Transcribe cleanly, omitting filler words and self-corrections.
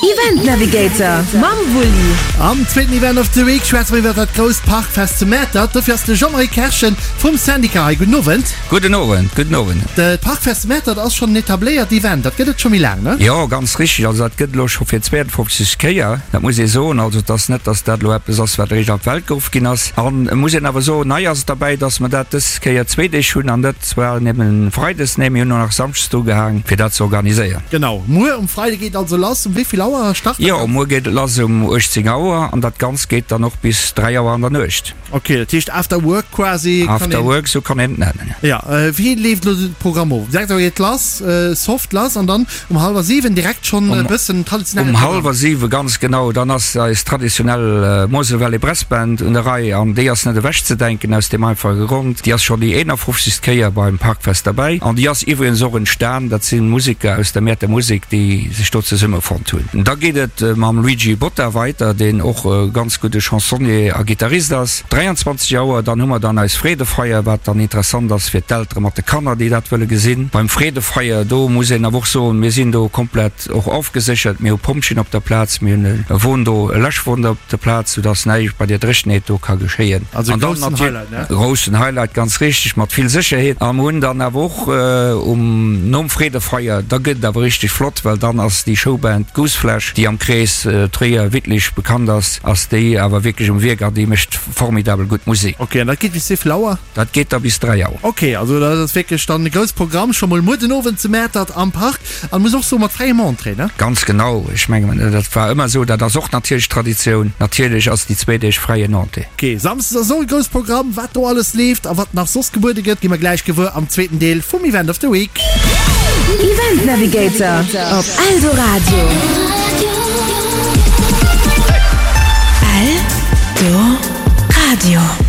Event Navigator mam Wulli. Am zweeten Event of the Week schwätze mer iwwer dat grousst Parkfest zu Mäertert. Dofir ass de Jean-Marie Kerschen vum Syndicat hei. Gudden Owend. Gudden Owend, gudden Owend. D'Parkfest zu Mäertert ass schonn en etabléiert Event. Dat gëtt et scho méi laang, ne? Jo, ganz richteg. Also dat gëtt elo scho fir 52. Kéier. Dat muss ee soen. Also et ass net, datt dat elo eppes ass, wat eréischt an d'Welt geruff ginn ass. An et muss een awer soen, nei ass et derbäi, datt mer dat dës Kéier zwee Deeg hunn an net zwar nëmmen Freides, nee mir hunn och nach Samschdes dru gehaang, fir dat ze organiséieren. Genau, muer um Freide geet also lass. Um wéi vill Auer start dat Jo, muer geet et lass um 18 Auer an dat Ganzt geet dann och bis 3 Auer an der Nuecht. Ok, dat heescht After Work quasi. After Work, esou kann een et nennen. Jo, wéi leeft elo de Programm of? Um 6 Auer geet et lass, soft lass an dann Um hallwer 7 direkt schonn e bëssen traditionelle Programm. Um hallwer 7 ganz genau, dann ass eis traditionell Mosel Valley Brass Band un der Rei an déi ass net ewech ze denken aus deem einfache Grond, déi ass schonn déi 51. Kéier beim Parkfest derbäi an déi ass iwwregens och entstan, dat si Museker aus der Mäerter Musek, déi sech do zesummefonnt hunn. Da geet et mam Luigi Botta weiter, deen och e ganz gudde Chansonnier a Gittarist ass. 23 Auer, dann hu mer dann eis Freedefeier, wat dann interessant ass fir d'Eltere mat de Kanner, déi dat wëlle gesinn. Beim Freedefeier, do muss een awer och soen, mir sinn do komplett och ofgeséchert, mir hu Pompjeeën op der Plaz, mir hunn e Won do, e Läschwon op der Plaz, soudass näischt bei der Dréchenheet do ka geschéien. Also e groussen Highlight, ne? Groussen Highlight, ganz richteg, mat vill Sécherheet. A mer hunn dann awer och um, nom Freedefeier, da gëtt et awer richteg flott, well dann ass déi Showband Gooseflesh, déi am Krees Tréier-Wittlich bekannt ass, Ass déi awer wierklech um Wierk an déi mécht formidabel gutt Musek. Ok, an dat geet bis wéivill Auer? Dat geet da bis 3 Auer. Ok, also dat ass wierklech dann e grousst Programm scho mol muer den Owend zu Mäertert am Park an muss och soen mat fräiem Entrée, ne? Ganz genau, ech mengen dat war ëmmer esou, dat ass och natierlech Traditioun. Natierlech ass déi zwee Deeg fräien Entrée. Ok, Samsdes ass och e grousst Programm. Wat do alles leeft a wat nach soss gebuede gëtt, gi mer gläich gewuer am zweeten Deel vum Event of the Week. Event Navigator op Eldoradio. Eldoradio.